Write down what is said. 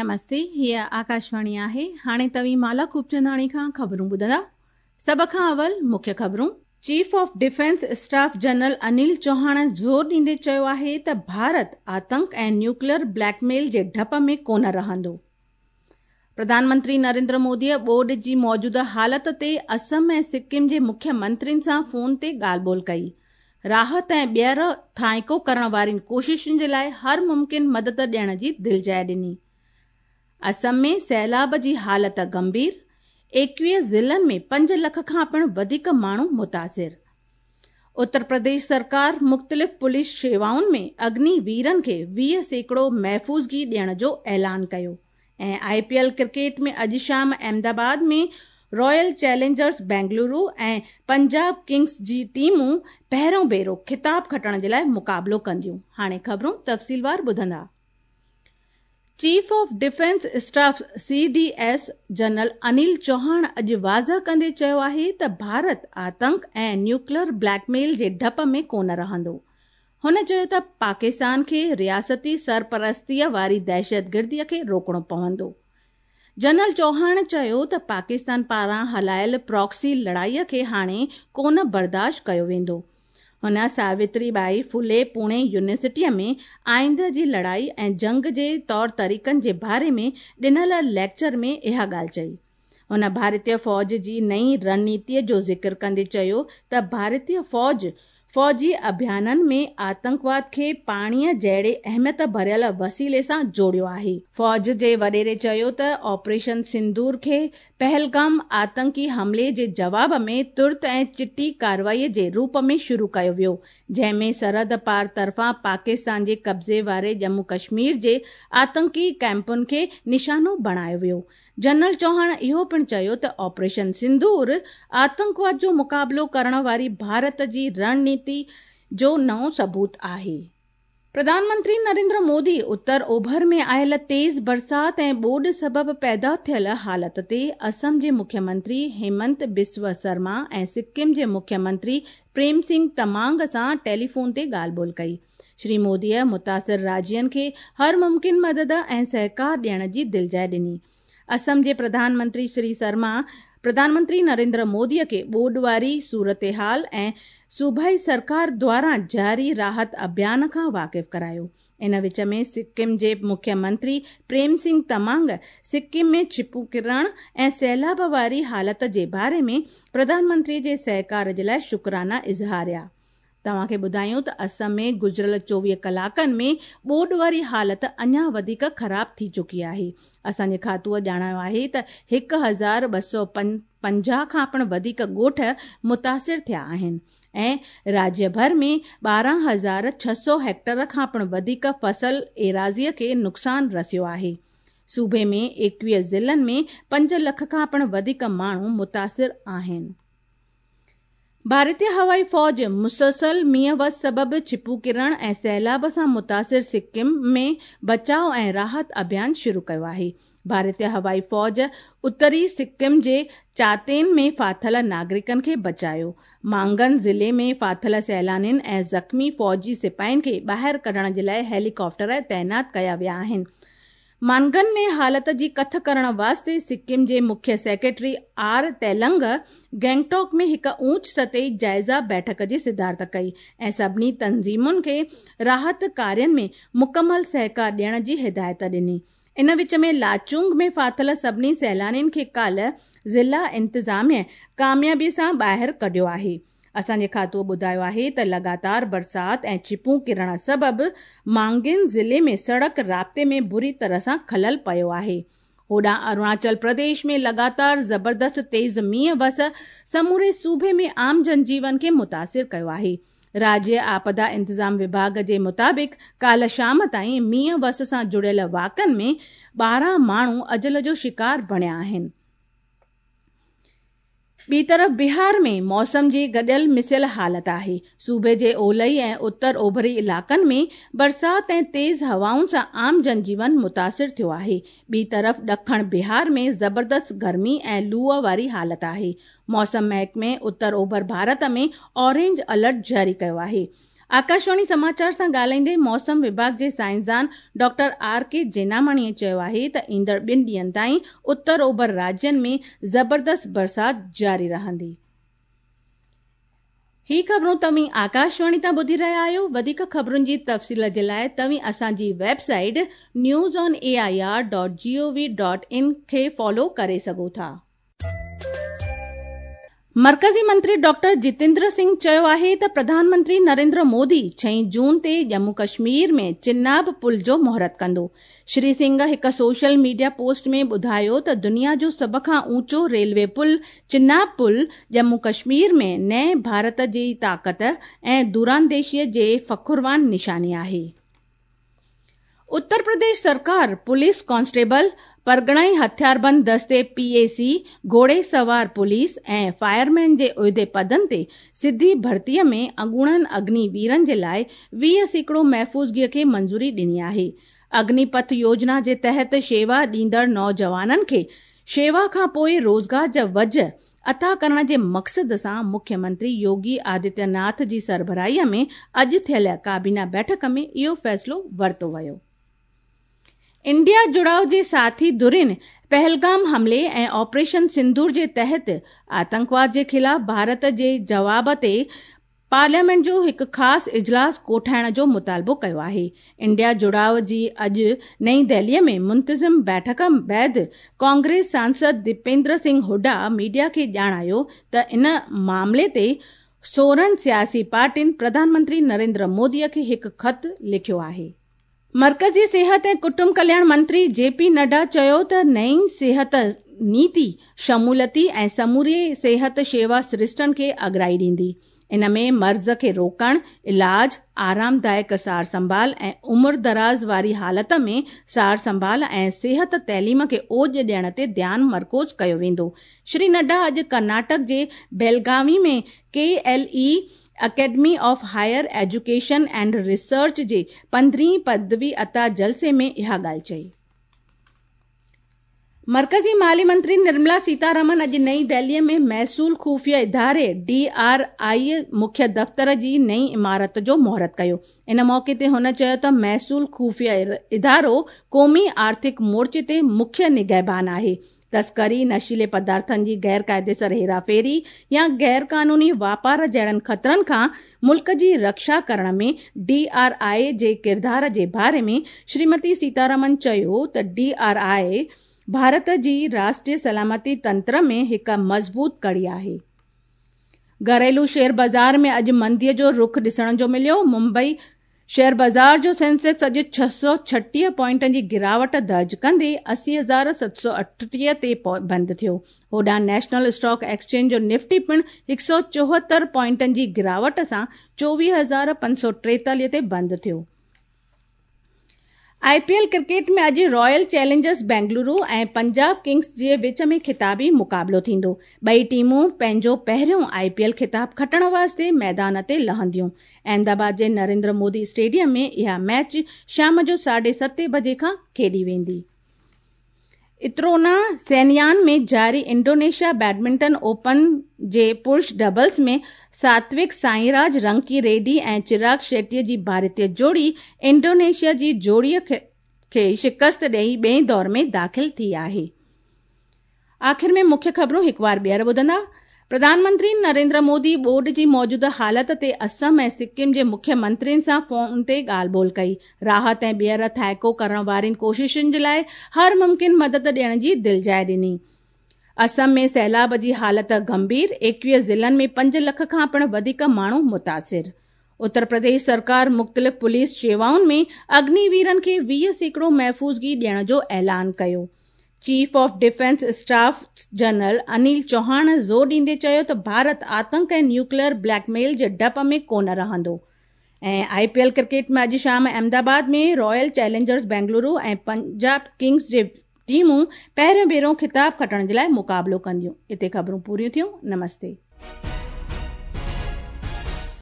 نمستي، هيء آڪاشواڻي آهي. هاڻي توهين مالا خوبچنداڻي کان خبرون ٻڌندا. سڀ کان اول مکيه خبرون. Chief of defence staff general Anil Chauhan زور ڏيندي چيو آهي ته ڀارت آتنڪ ۽ نيوڪليئر بليڪ ميل جي ڊپ ۾ ڪونه رهندو. پرڌان منتري نريندر موديء ٻوڏ جي موجوده حالت تي اسم ۽ سڪم جي مکيه منترين سان فون تي ڳالهه ٻولهه ڪئي. راحت ۽ ٻيهر ٿانئيڪو ڪرڻ وارين ڪوششن جي لاء هر ممڪن مدد ڏيڻ جي دلجاء ڏني. اسم ۾ سيلاب جي حالت گنڀير، 21 ضلعن ۾ 5 لک کان پڻ وڌيڪ ماڻهو متاثر. اتر پرديش سرڪار مختلف پوليس شيوائن ۾ اگني ويرن کي 20% محفوظگي ڏيڻ جو اعلان ڪيو ۽ آء پي ايل ڪرڪيٽ ۾ اڄ شام Ahmed Ahmedabad ۾ Royal Challengers Bengaluru ۽ Punjab Kings جي ٽيمون پهريون ڀيرو خطاب کٽڻ جي لاء مقابلو ڪنديون. هاڻي خبرون تفصيلوار ٻڌندا. Chief of defence staff, C D S, general Anil Chauhan اڄ واضح ڪندي چيو آهي ته ڀارت آتنڪ ۽ نيوڪلر بليڪ ميل جي ڊپ ۾ ڪونه رهندو. هن چيو ته پاڪستان کي رياستي سرپرستيء واري دهشتگردي کي روڪڻو پوندو. جنرل چوهاڻ چيو ته پاڪستان پاران هلايل پراڪسي لڙائي کي هاڻي ڪونه برداشت ڪيو ويندو. هن ساوتري ٻائي ڦولي پوڻي يونيورسٽيء ۾ آئنده جي لڙائي ۽ جنگ جي طور طريقن جي باري ۾ ڏنل ليڪچر ۾ اها ڳالهه چئي. هن ڀارتي فوج جي نئين رڻنيتيء جو ذڪر ڪندي چيو ته ڀارتي فوج فوجي اڀيانن ۾ آتنڪواد کي پاڻيء جهڙي اهميت ڀريل وسيلي سان جوڙيو آهي. فوج جي وڏيري چيو ته آپريشن سندور کي پهلگام آتنڪي حملي جي جواب ۾ ترت ۽ چٽي ڪارروائي جي روپ ۾ شروع ڪيو ويو، جنهن ۾ سرحد پار طرفان پاڪستان جي قبضي واري ڄمون ڪشمير جي آتنڪي ڪئمپن کي نشانو بڻايو ويو. جنرل چوهاڻ اهو پڻ چيو ته آپريشن سندور آتنڪواد جو مقابلو ڪرڻ واري ڀارت جي رڻنيتي جو نئون ثبوت آهي. پرڌان منتري نريندر مودي اتر اوڀر ۾ آيل تيز برسات ۽ ٻوڏ سبب پيدا ٿيل حالت تي اسم جي مکيه منتري هيمنت بسوا سرما ۽ سڪم جي مکيه منتري پريم سنگهه تمانگ سان ٽيليفون تي ڳالهه ٻولهه ڪئي. شري موديء متاثر راجين کي هر ممڪن مدد ۽ سهڪار ڏيڻ جي دلجاء ڏني. اسم جي پرڌان منتري شري سرما پرڌان منتري نريندر موديء کي ٻوڏ واري صورتحال ۽ صوبائي سرڪار دواران جاري راحت اڀيان کان واقف ڪرايو. ان وچ ۾ سڪم جي مکيه منتري پريم سنگهه تمانگ سڪم ۾ ڇپون ڪرڻ ۽ سيلاب واري حالت جي باري ۾ پرڌان منتري جي سهڪار جي لاء شڪرانا اظهاريا. توهان کي ٻڌايون ته اسم ۾ گذريل 24 ڪلاڪن ۾ ٻوڏ واري حالت اڃا وڌيڪ خراب ٿي چڪي آهي. اسان جي کاتوء ڄاڻايو آهي ته 1250 کان پڻ وڌيڪ ڳوٺ متاثر ٿيا آهن ۽ راجيه ڀر ۾ 12600 هيڪٽر کان پڻ وڌيڪ فصل ايراضيء کي نقصان رسيو آهي. صوبي ۾ 21 ضلعن ۾ 5 لک کان پڻ وڌيڪ ماڻهو متاثر آهن. ڀارتي هوائي فوج مسلسل مينهن وس سبب ڇپون ڪرڻ ۽ سيلاب سان متاثر سڪم ۾ بچاء ۽ راحت اڀيان شروع ڪيو آهي. ڀارتي هوائي فوج اتري سڪم جي چاتين ۾ ڦاٿل ناگرڪن کي بچايو. مانگن ضلعي ۾ ڦاٿل سيلانين ۽ زخمي فوجي سپاهين کي ٻاهر ڪڍڻ جي لاء هيلي ڪاپٽر تعينات ڪيا ويا آهن. مانگن ۾ حالت جي ڪٿ ڪرڻ واسطي سڪم جي مکيه سيڪريٽري آر تيلنگ گينگٽوڪ ۾ هڪ اوچ سطحي جائزه بيٺڪ جي صدارت ڪئي ۽ سڀني تنظيمن کي راحت ڪارين ۾ مڪمل سهڪار ڏيڻ جي هدايت ڏني. ان وچ ۾ لاچونگ ۾ ڦاٿل سڀني سيلانين کي ڪالهه ضلع انتظاميه ڪاميابي سان ٻاهر ڪڍيو آهي. اسان جي کاتوء ٻڌايو آهي ته لڳاتار برسات ۽ ڇپون ڪرڻ سبب مانگين ضلعي ۾ سڙڪ رابطي ۾ بري طرح سان خلل پيو آهي. هوڏانهن اروناچل پرديش ۾ لڳاتار زبردست تيز مينهن وس سموري صوبي ۾ عام جنجيون کي متاثر ڪيو آهي. راجيه آپدا انتظام وڀاڳ جي مطابق ڪالهه شام تائين مينهن وس سان جڙيل واقعن ۾ 12 ماڻهو اجل جو شڪار بڻيا آهن. ٻي طرف بهار ۾ موسم جي گڏيل مسيل حالت آهي. صوبي جي اولهي ۽ اتر اوڀري علائقن ۾ برسات ۽ تيز هوائن سان عام جنجيون متاثر ٿيو آهي. ٻي طرف ڏکڻ بهار ۾ زبردست گرمي ۽ لوء واري حالت آهي. موسم محڪمي اتر اوڀر ڀارت ۾ اورينج الرٽ جاري ڪيو آهي. آڪاشواڻي سماچار سان ڳالهائيندي موسم وڀاڳ جي سائنسدان ڊاڪٽر آر ڪي جيناماڻي چيو آهي ته ايندڙ ٻن ڏينهن تائين اتر اوڀر راجين ۾ زبردست برسات جاري رهندي. هي خبرون توهين آڪاشواڻي تان ٻڌي رهيا آهيو. وڌيڪ خبرن جي تفصيل جي لاء توهين اسان جي website news on A I R dot G O V dot in کي فالو ڪري سگهو ٿا. مرڪزي منتري ڊاڪٽر جتيندر سنگهه چيو آهي ته پرڌان منتري نريندر مودي ڇهين جون تي ڄمون ڪشمير ۾ چناب پل جو مهورت ڪندو. شري سنگهه هڪ سوشل ميڊيا پوسٽ ۾ ٻڌايو ته دنيا جو سڀ کان اوچو ريلوي پل چناب پل ڄمون ڪشمير ۾ نئين ڀارت جي طاقت ۽ دورانديشيء جي فخروان نشاني آهي. اتر پرديش سرڪار پوليس ڪانسٽيبل، پرڳڻائي هٿياربند دستي پي اي سي، گهوڙي سوار پوليس ۽ فائرمين جي عهدي پدن تي سڌي ڀرتي ۾ اڳوڻن اگني ويرن جي لاء 20% محفوظگي کي منظوري ڏني آهي. اگني پٿ يوجنا جي تحت شيوا ڏيندڙ نوجوانن کي شيوا کان پوء روزگار جا وجهه عطا ڪرڻ جي مقصد سان مکيه منتري يوگي آدتيه ناٿ جي سربراهي ۾ اڄ ٿيل ڪابينا بيٺڪ ۾ اهو فيصلو ورتو ويو. انڊيا جڙاء جي ساٿي ڌرين پهلگام حملي ۽ آپريشن سندور جي تحت آتنڪواد جي خلاف ڀارت جي جواب تي پارليامينٽ جو هڪ خاص اجلاس ڪوٺائڻ جو مطالبو ڪيو آهي. انڊيا جڙاء جي اڄ نئين دهلي ۾ منتظم بيٺڪ بعد ڪانگريس سانسد ديپيندر سنگهه هوڊا ميڊيا کي ڄاڻايو ته ان معاملي تي 16 سياسي پارٽين پرڌان منتري نريندر مودي کي هڪ خط لکيو آهي. مرڪزي صحت ۽ ڪٽنب ڪلياڻ منتري جي پي نڊا چيو ته نئين صحت نيتي شموليتي ۽ سموري صحت شيوا سرشتن کي اڳرائي ڏيندي. ان ۾ مرض کي روڪڻ، علاج، آرامدائڪ سار سنڀال ۽ عمر دراز واري حالت ۾ سار سنڀال ۽ صحت تعليم کي اوڄ ڏيڻ تي ڌيان مرڪوز ڪيو ويندو. شري نڊا اڄ ڪرناٽڪ جي بيلگاوي ۾ K L E academy of higher education and research جي پندرهين پدوي عطا جلسي ۾ اها ڳالهه چئي. مرڪزي مالي منتري نرملا سيتارامن اڄ نئين دهلي ۾ محصول خفيه اداري، ڊي آر آء، مکيه دفتر جي نئين عمارت جو مهورت ڪيو. ان موقعي تي هن چيو ته محصول خفيه ادارو قومي آرٿڪ مورچي تي مکيه نگهبان آهي. تسڪري، نشيلي پدارٿن جي غير قاعديسر هيراڦيري يا غير قانوني واپار جهڙن خطرن کان ملڪ جي رڪشا ڪرڻ ۾ ڊي آر آء جي ڪردار جي باري ۾ شريمتي سيتارامن چيو ته ڊي آر آء ڀارت جي راشٽري سلامتي تنتر ۾ هڪ مضبوط ڪڙي آهي. گهريلو شيئر بازار ۾ اڄ مندي جو رخ ڏسڻ جو مليو، ممبئي شيئر بازار جو سينسيڪس اڄ 636 پوائنٽن جي گراوٽ درج ڪندي 80,738 تي بند ٿيو. هوڏانهن نيشنل اسٽاڪ ايڪسچينج جو نفٽي پڻ 174 پوائنٽن جي گراوٽ سان 24,543 تي بند ٿيو. آء پي ايل ڪرڪيٽ ۾ اڄ royal challengers Bengaluru ۽ Punjab kings جي وچ ۾ خطابي مقابلو ٿيندو. ٻئي ٽيمون پنهنجو پهريون آء پي ايل خطاب کٽڻ واسطي ميدان تي لهنديون. احمد آباد جي نريندر مودي اسٽيڊيم ۾ اها ميچ شام جو ساڍي ستين بجي کان کيڏي ويندي. اترونا سينيان ۾ جاري انڊونيشيا بيڊمنٽن اوپن جي پرش ڊبلز ۾ ساتوڪ سائيراج رنڪي ريڊي ۽ چراگ شيٽي جي ڀارتي جوڙي انڊونيشيا جي جوڙي کي شڪست ڏئي ٻئي دور ۾ داخل ٿي آهي. آخر ۾ مکيه خبرون هڪ وار ٻيهر ٻڌندا. پرڌان منتري نريندر مودي ٻوڏ جي موجوده حالت تي اسم ۽ سڪم جي مکيه منترين سان فون تي ڳالهه ٻولهه ڪئي، راحت ۽ ٻيهر ٿائيڪو ڪرڻ وارين ڪوششن جي لاء هر ممڪن مدد ڏيڻ جي دلجاء ڏني. اسم ۾ سيلاب جي حالت گنڀير، 21 ضلعن ۾ پنج لک کان پڻ وڌيڪ ماڻهو متاثر. اتر پرديش سرڪار مختلف پوليس شيوائن ۾ اگني ويرن کي 20% محفوظگي ڏيڻ جو اعلان ڪيو. Chief of defence staff general Anil Chauhan زور ڏيندي چيو ته ڀارت آتنڪ ۽ نيوڪليئر بليڪ ميل جي ڊپ ۾ ڪونه رهندو. ۽ آء پي ايل ڪرڪيٽ ۾ اڄ شام Ahmedabad ۾ royal challengers Bengaluru ۽ Punjab kings جي ٽيمون پهريون ڀيرو خطاب کٽڻ جي لاء مقابلو ڪنديون. اتي خبرون پوريون ٿيون. نمستي.